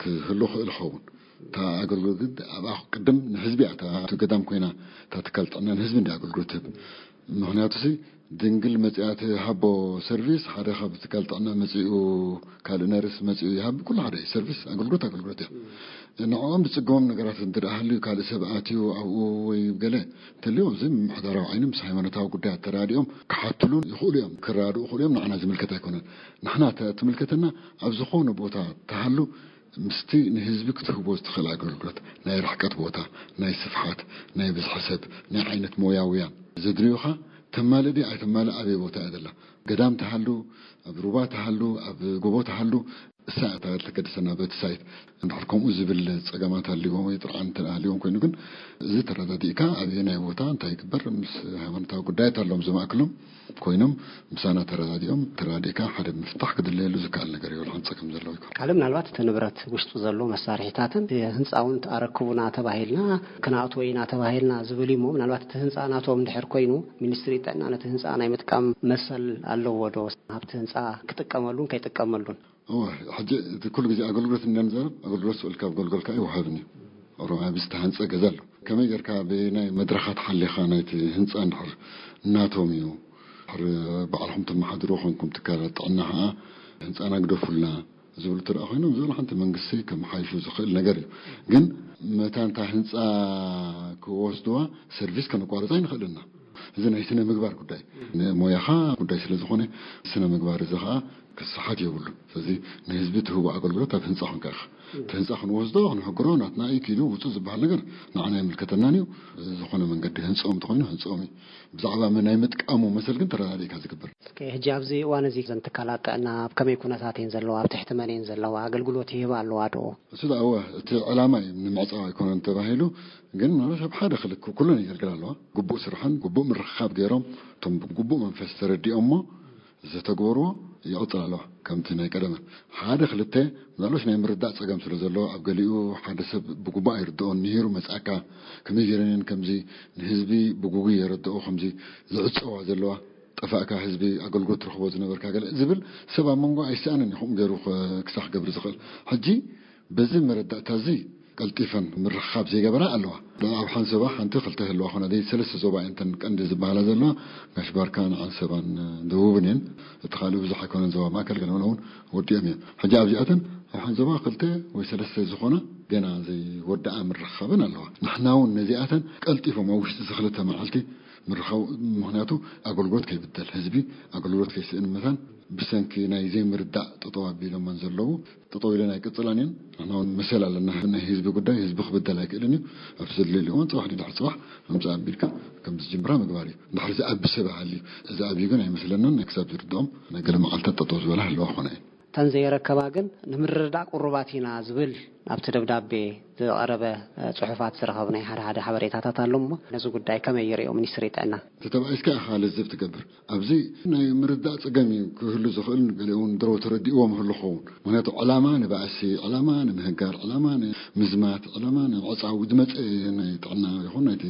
ክህሉ ክእል ኸውን እታ ኣገልግሎት ግን ኣብኣ ቅድም ንህዝቢ እያ እታ ገዳም ኮይና እታ ትካል ጥዕና ንህዝቢ እንዲ ኣገልግሎት ትህብ ምክንያቱ ድንግል መፅኣ ትሃቦ ሰርቪስ ሓደ ካብ ትካል ጥዕና መፂኡ ካልእ ነርስ መፂኡ ይሃብ ኩሉ ሓደ እዩ ሰርቪስ ኣገልግሎት ኣገልግሎት እያ ንዕኦም ዝፅገሞም ነገራት እንተ ደኣ ሃልዩ ካልእ ሰብ ኣትዩ ኣብኡ ወይ ገለ እንተልዩ እዚ ምምሕዳራዊ ዓይኒ ምስ ሃይማኖታዊ ጉዳያት ተራዲኦም ክሓትሉን ይኽእሉ እዮም ክራድኡ ይኽእሉ እዮም ንዓና ዝምልከት ኣይኮነን ንሕና ትምልከተና ኣብ ዝኾነ ቦታ ተሃሉ ምስቲ ንህዝቢ ክትህቦ ዝትኽእል ኣገልግሎት ናይ ርሕቀት ቦታ ናይ ስፍሓት ናይ ብዝሒ ሰብ ናይ ዓይነት ሞያውያን ዘድልዩኻ ተማልእ ድያ ኣይተማልእ ኣበይ ቦታ እያ ዘላ ገዳም ተሃሉ ኣብ ሩባ ተሃሉ ኣብ ጎቦ ተሃሉ እሳ እታ ተገድሰና በቲ ሳይት እንድሕር ከምኡ ዝብል ፀገማት ሃልዎም ወይ ጥርዓን እንተ ሃልዎም ኮይኑ ግን እዚ ተረዳዲእካ ኣበየናይ ቦታ እንታይ ይግበር ምስ ሃይማኖታዊ ጉዳያት ኣለዎም ዝማእክሎም ኮይኖም ምሳና ተረዳዲኦም ተረዳዲእካ ሓደ ምፍታሕ ክድለየሉ ዝከኣል ነገር ይብል ሓንፀ ከም ዘለዎ ይኮን። ካልእ ምናልባት እቲ ንብረት ውሽጡ ዘሎ መሳርሒታትን ህንፃውን ኣረክቡና ተባሂልና ክነኣትዎ ኢና ተባሂልና ዝብል እሞ ምናልባት እቲ ህንፃ ናቶም እንድሕር ኮይኑ ሚኒስትሪ ጥዕና ነቲ ህንፃ ናይ ምጥቃም መሰል ኣለዎ ዶ? ኣብቲ ህንፃ ክጥቀመሉን ከይጥቀመሉን እወ ሕጂ እቲ ኩሉ ግዜ ኣገልግሎት እንዳንዛረብ ኣገልግሎት ስኡል ካብ ገልገልካ ይወሃብን እዩ። ኦሮምያ ብዝተሃንፀ ገዛ ኣሎ ከመይ ጌርካ ብናይ መድረኻት ሓሊኻ ናይቲ ህንፃ እንድሕር እናቶም እዩ ድሕሪ ባዕልኹም ተመሓድሩ ኮንኩም ትካላት ጥዕና ኸዓ ህንፃና ግደፉልና ዝብሉ ትረኣ ኮይኖም፣ ዝብሉ ሓንቲ መንግስቲ ከመሓይሹ ዝኽእል ነገር እዩ። ግን መታን እታ ህንፃ ክወስድዋ ሰርቪስ ከነቋርፃ ኣይንኽእልና። እዚ ናይ ስነ ምግባር ጉዳይ፣ ንሞያኻ ጉዳይ ስለ ዝኾነ፣ ስነ ምግባር እዚ ኸዓ ክሰሓት የብሉን። ስለዚ ንህዝቢ ትህቦ ኣገልግሎት ኣብ ህንፃ ኮንካ ኢኻ። እቲ ህንፃ ክንወስዶ ክንሕግሮ ናትና እዩ፣ ኪዱ ውፁ ዝበሃል ነገር ንዓና ኣይምልከተናን እዩ። ዝኾነ መንገዲ ህንፅኦም እንተኾይኑ ህንፅኦም እዩ። ብዛዕባ ናይ ምጥቃሙ መሰል ግን ተረዳዲእካ ዝግበር። እስከ ሕጂ ኣብዚ እዋን እዚ እዘን ትካላት ጥዕና ኣብ ከመይ ኩነታት እየን ዘለዋ? ኣብ ትሕቲ መን እየን ዘለዋ? ኣገልግሎት ይህባ ኣለዋ ዶ? እሱ ደኣ እወ፣ እቲ ዕላማ እዩ፣ ንምዕፃው ኣይኮነን ተባሂሉ። ግን ምናልባት ኣብ ሓደ ክልክ ኩለን የገልግላ ኣለዋ። ግቡእ ስራሕን ግቡእ ምርኽኻብ ገይሮም፣ እቶም ብግቡእ መንፈስ ተረዲኦሞ ዘተግበርዎ ይቕፅል ኣለዋ። ከምቲ ናይ ቀደመ ሓደ ክልተ ምናልባት ናይ ምርዳእ ፀገም ስለ ዘለዎ፣ ኣብ ገሊኡ ሓደ ሰብ ብግቡእ ኣይርድኦን። ምሂሩ መፅኣካ፣ ከመይ ገይረን እየን ከምዚ ንህዝቢ ብግጉይ የረድኦ፣ ከምዚ ዝዕፀዋ ዘለዋ፣ ጠፋእካ ህዝቢ ኣገልግሎት ትረኽቦ ዝነበርካ ገለ ዝብል ሰብ ኣብ መንጎ ኣይሰኣንን እዩ፣ ከምኡ ገይሩ ክሳዕ ክገብር ዝኽእል። ሕጂ በዚ መረዳእታ እዚ ቀልጢፈን ምርኽኻብ ዘይገበራ ኣለዋ። ኣብ ሓንሰባ ሓንቲ ክልተ ህልዋ ኮነ ደይ ሰለስተ ዞባ እየን እተን ቀንዲ ዝበሃላ ዘለዋ። ጋሽ ባርካን ዓንሰባን ደቡብን እየን። እቲ ካልእ ብዙሕ ኣይኮነን፣ ዞባ ማእከል ገለ እውን ወዲኦም እዮም። ሕጂ ኣብዚኣተን ኣብ ሓንሰባ ክልተ ወይ ሰለስተ ዝኾና ገና ዘይወደኣ ምርኽኻብን ኣለዋ። ንሕና እውን ነዚኣተን ቀልጢፎም ኣብ ውሽጢ እዚ ክልተ መዓልቲ ምርኻው፣ ምኽንያቱ ኣገልግሎት ከይብደል፣ ህዝቢ ኣገልግሎት ከይስእን መታን ብሰንኪ ናይ ዘይምርዳእ ጠጠው ኣቢሎመን ዘለዉ፣ ጠጠው ኢለን ኣይቅፅላን እየን። ንሕና እውን መሰል ኣለና። ናይ ህዝቢ ጉዳይ ህዝቢ ክብደል ኣይክእልን እዩ። ኣብቲ ዘድልየሉ እዋን ፅባሕ ድሕሪ ፅባሕ ምምፃእ ኣቢልካ ከም ዝጅምራ ምግባር እዩ። እንድሕር ዝኣቢ ሰብ ሃልዩ፣ እዚ ኣብዩ ግን ኣይመስለናን። ናይ ክሳብ ዝርድኦም ናይ ገለ መዓልታት ጠጠው ዝበላ ህለዋ ክኾና እየን። እተን ዘይረከባ ግን ንምርድዳእ ቅሩባት ኢና ዝብል ኣብቲ ደብዳቤ ዝቐረበ፣ እ፣ ጽሑፋት ዝረኸብናዮ ሓደ ሓደ ሓበሬታታት ኣሎ እሞ፣ ነዚ ጉዳይ ከመይ ይርእዮ ሚኒስትሪ ጥዕና? እቲ ተባኢስካ ኢኻ ልዝብ ትገብር። ኣብዚ ናይ ምርዳእ ጸገም እዩ ክህሉ ዝኽእል፣ ገሊኡ እውን ድሮ ተረዲእዎ ምህሉ ክኸውን። ምኽንያቱ ዕላማ ንባእሲ፣ ዕላማ ንምህጋር፣ ዕላማ ንምዝማት፣ ዕላማ ንምዕጻው ዝመጸ ናይ ጥዕና ይኹን ናይቲ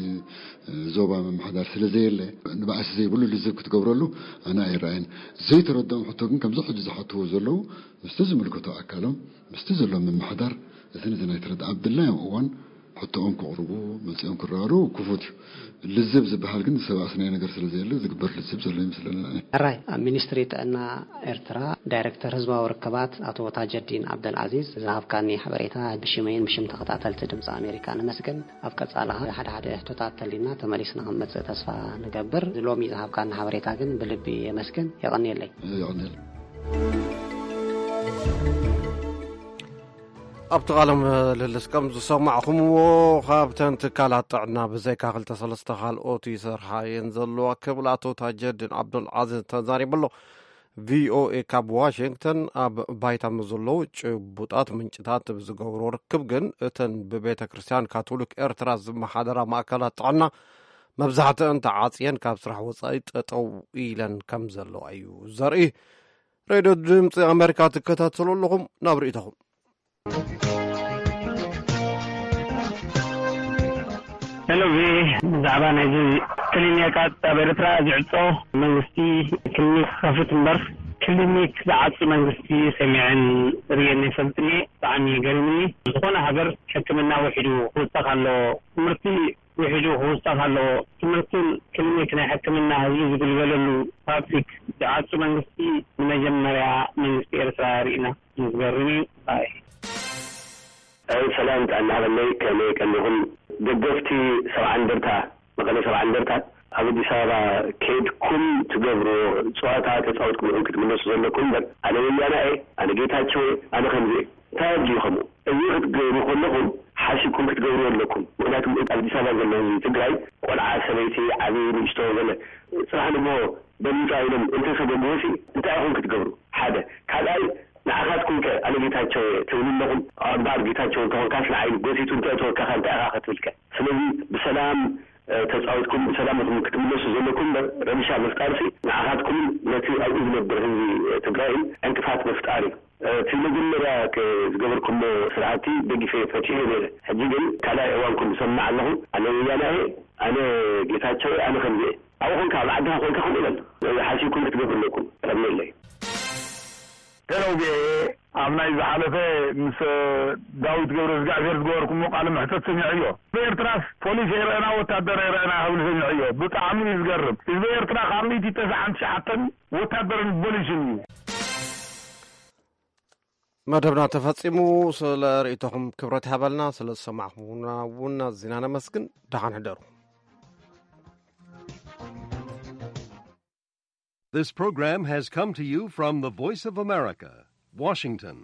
ዞባ ምምሕዳር ስለ ዘየለ፣ ንባእሲ ዘይብሉ ልዝብ ክትገብረሉ ኣነ ኣይረኣይን። ዘይተረድኦም ሕቶ ግን ከምዚ ሕጂ ዝሓትዎ ዘለዉ ምስቲ ዝምልከቶ ኣካሎም፣ ምስቲ ዘሎ ምምሕዳር፣ እቲ ነቲ ናይ ተረድኣ ኣብ ድላዮም እዋን ሕቶኦም ከቕርቡ፣ መጺኦም ክረዳድኡ ክፉት እዩ። ልዝብ ዝበሃል ግን ዝሰባእስናዮ ነገር ስለ ዘየለ ዝግበር ልዝብ ዘሎ ይመስለኒ። ሕራይ፣ ኣብ ሚኒስትሪ ጥዕና ኤርትራ ዳይሬክተር ህዝባዊ ርክባት ኣቶ ታጀዲን ዓብደልዓዚዝ ዝሃብካኒ ሓበሬታ ብሽመይን ብሽም ተኸታተልቲ ድምፂ ኣሜሪካ ነመስግን። ኣብ ቀጻሊ ሓደ ሓደ ሕቶታት ተሊና ተመሊስና ክንመጽእ ተስፋ ንገብር። ሎሚ ዝሃብካኒ ሓበሬታ ግን ብልቢ የመስግን። የቐንየለይ። የቐንየለይ። ኣብቲ ቃለ ምልልስ ከም ዝሰማዕኹምዎ፣ ካብተን ትካላት ጥዕና ብዘይካ ክልተ ሰለስተ ካልኦት ይሰርሓ እየን ዘለዋ ክብል ኣቶ ታጀዲን ዓብዱልዓዚዝ ተዛሪቡ ኣሎ። ቪኦኤ ካብ ዋሽንግተን ኣብ ባይታ ምስ ዘለዉ ጭቡጣት ምንጭታት ብዝገብሮ ርክብ ግን፣ እተን ብቤተ ክርስቲያን ካቶሊክ ኤርትራ ዝመሓደራ ማእከላት ጥዕና መብዛሕትአን ተዓጽየን ካብ ስራሕ ወጻኢ ጠጠው ኢለን ከም ዘለዋ እዩ ዘርኢ። ሬድዮ ድምፂ ኣሜሪካ ትከታተሉ ኣለኹም። ናብ ርእይቶኹም። ሄሎ፣ ቪ ብዛዕባ ናይዚ ክሊኒካት ኣብ ኤርትራ ዝዕጾ መንግስቲ ክሊኒክ ክኸፍት እምበር፣ ክሊኒክ ዝዓጹ መንግስቲ ሰሚዐን ርእየን ኣይፈልጥን እየ። ብጣዕሚ ገሪሙኒ። ዝኾነ ሃገር ሕክምና ውሒዱ ክውሰኽ ኣለዎ። ትምህርቲ ውሒዱ ክውሰኽ ኣለዎ። ትምህርትን ክሊኒክ ናይ ሕክምና ህዝቢ ዝግልገለሉ ፓብሊክ ዝዓጹ መንግስቲ ንመጀመርያ መንግስቲ ኤርትራ ርኢና። ዝገርም እዩ። ኣይ። ኣይ፣ ሰላም ጥዕና ሃበለይ፣ ከመይ ቀኒኹም? ደገፍቲ ሰብዓ እንደርታ፣ መቐለ ሰብዓ እንደርታ፣ ኣብ ኣዲስ ኣበባ ከይድኩም ትገብርዎ ጸዋታ ተጻዊትኩም ኢኹም ክትምለሱ ዘለኩም እምበር፣ ኣነ ወያና እየ፣ ኣነ ጌታቸው እየ፣ ኣነ ከምዚ እየ። እንታይ ኣድልዩ ከምኡ? እዚ ክትገብሩ ከለኹም ሓሲብኩም ክትገብርዎ ኣለኩም። ምኽንያቱ ኣብ ኣዲስ ኣበባ ዘሎ ህዝቢ ትግራይ፣ ቆልዓ፣ ሰበይቲ፣ ዓብዪ፣ ንእሽቶ፣ ገለ፣ ጽባሕ ንግሆ በሊጻ ኢሎም እንተሰገድዎሲ እንታይ ኢኹም ክትገብሩ? ሓደ። ካልኣይ፣ ንዓኻትኩም ከ ኣነ ጌታቸው እየ ትብሉ ኣለኹም? እምበኣር ጌታቸው እንተኾንካስ ንዓይ ጎሲቱ እንተእተወካ ከ እንታይ ኢኻ ክትብል ከ? ስለዚ ብሰላም፣ እ፣ ተጻዊትኩም ብሰላም ኢኹም ክትምለሱ ዘለኩም እምበር ረብሻ ምፍጣርሲ ንዓኻትኩምን ነቲ ኣብኡ ዝነብር ህዝቢ ትግራይን ዕንቅፋት ምፍጣር እዩ። እ፣ እቲ መጀመርያ ከ-፣ ዝገበርኩሞ ስራሕቲ ደጊፈ ፈትሐዮ ነይረ። ሕጂ ግን ካልኣይ እዋንኩም ዝሰምዕ ኣለኹ። ኣነ ወያና እየ፣ ኣነ ጌታቸው እየ፣ ኣነ ከምዚ እየ። ኣብኡ ኮንካ ኣብ ዓድኻ ኮንካ ከምኡ በል። ሓሲብኩም ክትገብሩ ኣለኩም። ረመለይ። ሄሎ ቪኦኤ፣ ኣብ ናይ ዝሓለፈ ምስ ዳዊት ገብረ እግዚኣብሔር ዝገበርኩሞ ቃለ መሕተት ሰሚዐዮ። ብኤርትራስ ፖሊስ የረእና ወታደር የረእና ክብል ሰሚዐዮ። ብጣዕሚ እዩ ዝገርም። ህዝቢ ኤርትራ ካብ ሚእቲ ተስዓን ትሽዓተን ወታደርን ፖሊስን እዩ። መደብና ተፈጺሙ። ስለ ርእይቶኹም ክብረት ይሃበልና። ስለ ዝሰማዕኹምና እውን ኣዚና ነመስግን። ደሓን ሕደሩ። This program has come to you from the Voice of America, Washington.